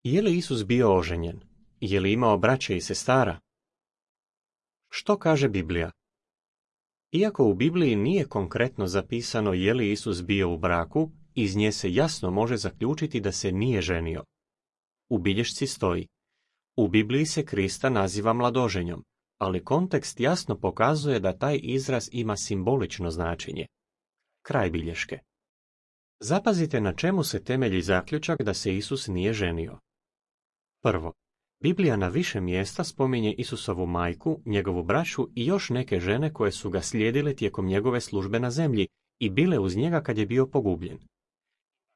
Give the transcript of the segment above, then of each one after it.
Je li Isus bio oženjen? Je li imao braće i sestara? Što kaže Biblija? Iako u Bibliji nije konkretno zapisano je li Isus bio u braku, iz nje se jasno može zaključiti da se nije ženio. U bilješci stoji: u Bibliji se Krista naziva mladoženjom, ali kontekst jasno pokazuje da taj izraz ima simbolično značenje. Kraj bilješke. Zapazite na čemu se temelji zaključak da se Isus nije ženio. Prvo, Biblija na više mjesta spominje Isusovu majku, njegovu braću i još neke žene koje su ga slijedile tijekom njegove službe na zemlji i bile uz njega kad je bio pogubljen.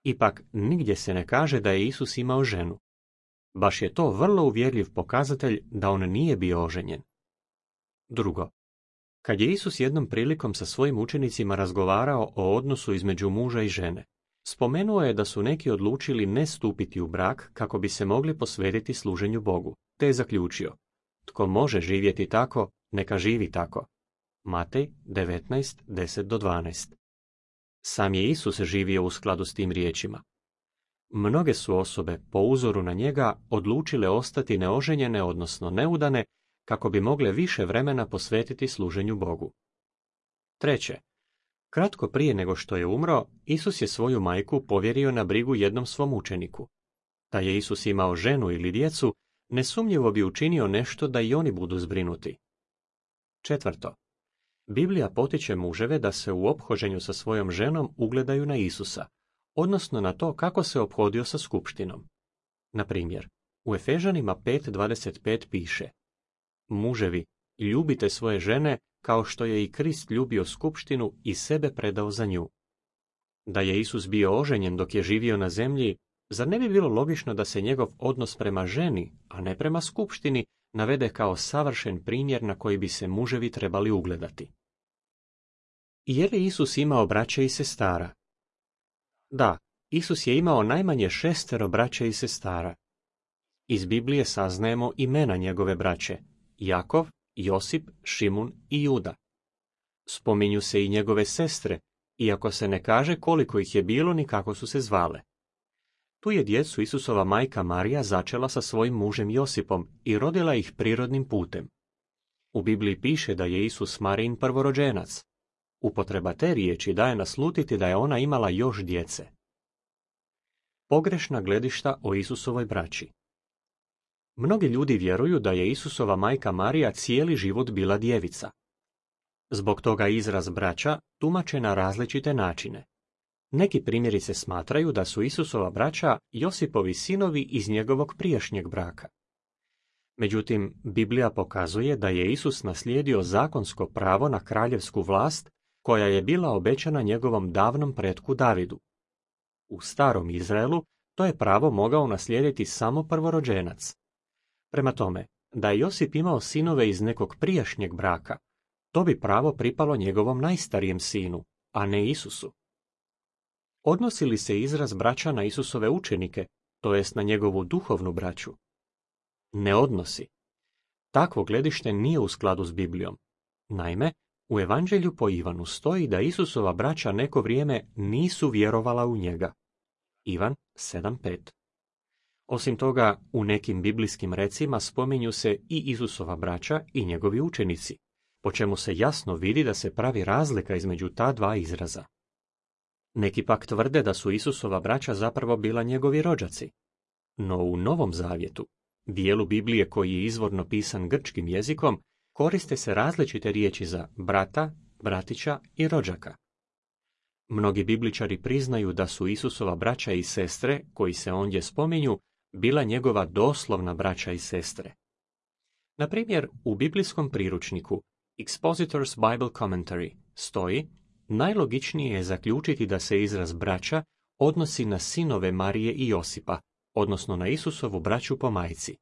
Ipak, nigdje se ne kaže da je Isus imao ženu. Baš je to vrlo uvjerljiv pokazatelj da on nije bio oženjen. Drugo, kad je Isus jednom prilikom sa svojim učenicima razgovarao o odnosu između muža i žene, spomenuo je da su neki odlučili ne stupiti u brak kako bi se mogli posvetiti služenju Bogu, te je zaključio: tko može živjeti tako, neka živi tako. Matej 19:10-12. Sam je Isus živio u skladu s tim riječima. Mnoge su osobe, po uzoru na njega, odlučile ostati neoženjene, odnosno neudane, kako bi mogle više vremena posvetiti služenju Bogu. Treće, kratko prije nego što je umro, Isus je svoju majku povjerio na brigu jednom svom učeniku. Da je Isus imao ženu ili djecu, nesumnjivo bi učinio nešto da i oni budu zbrinuti. Četvrto, Biblija potiče muževe da se u ophođenju sa svojom ženom ugledaju na Isusa, odnosno na to kako se ophodio sa skupštinom. Na primjer, u Efežanima 5:25 piše: muževi, ljubite svoje žene kao što je i Krist ljubio skupštinu i sebe predao za nju. Da je Isus bio oženjen dok je živio na zemlji, zar ne bi bilo logično da se njegov odnos prema ženi, a ne prema skupštini, navede kao savršen primjer na koji bi se muževi trebali ugledati? Je li Isus imao braće i sestara? Da, Isus je imao najmanje 6 braće i sestara. Iz Biblije saznajemo imena njegove braće: Jakov, Josip, Šimun i Juda. Spominju se i njegove sestre, iako se ne kaže koliko ih je bilo ni kako su se zvale. Tu je djecu Isusova majka Marija začela sa svojim mužem Josipom i rodila ih prirodnim putem. U Bibliji piše da je Isus Marijin prvorođenac. Upotreba te riječi daje naslutiti da je ona imala još djece. Pogrešna gledišta o Isusovoj braći. Mnogi ljudi vjeruju da je Isusova majka Marija cijeli život bila djevica. Zbog toga izraz braća tumače na različite načine. Neki primjerice smatraju da su Isusova braća Josipovi sinovi iz njegovog prijašnjeg braka. Međutim, Biblija pokazuje da je Isus naslijedio zakonsko pravo na kraljevsku vlast koja je bila obećana njegovom davnom pretku Davidu. U starom Izraelu to je pravo mogao naslijediti samo prvorođenac. Prema tome, da je Josip imao sinove iz nekog prijašnjeg braka, to bi pravo pripalo njegovom najstarijem sinu, a ne Isusu. Odnosi li se izraz braća na Isusove učenike, to jest na njegovu duhovnu braću? Ne odnosi. Takvo gledište nije u skladu s Biblijom. Naime, u Evanđelju po Ivanu stoji da Isusova braća neko vrijeme nisu vjerovala u njega. Ivan 7:5. Osim toga, u nekim biblijskim recima spominju se i Isusova braća i njegovi učenici, po čemu se jasno vidi da se pravi razlika između ta dva izraza. Neki pak tvrde da su Isusova braća zapravo bila njegovi rođaci. No u Novom Zavjetu, dijelu Biblije koji je izvorno pisan grčkim jezikom, koriste se različite riječi za brata, bratića i rođaka. Mnogi bibličari priznaju da su Isusova braća i sestre, koji se ondje spominju, bila njegova doslovna braća i sestre. Na primjer, u biblijskom priručniku Expositor's Bible Commentary stoji: najlogičnije je zaključiti da se izraz braća odnosi na sinove Marije i Josipa, odnosno na Isusovu braću po majci.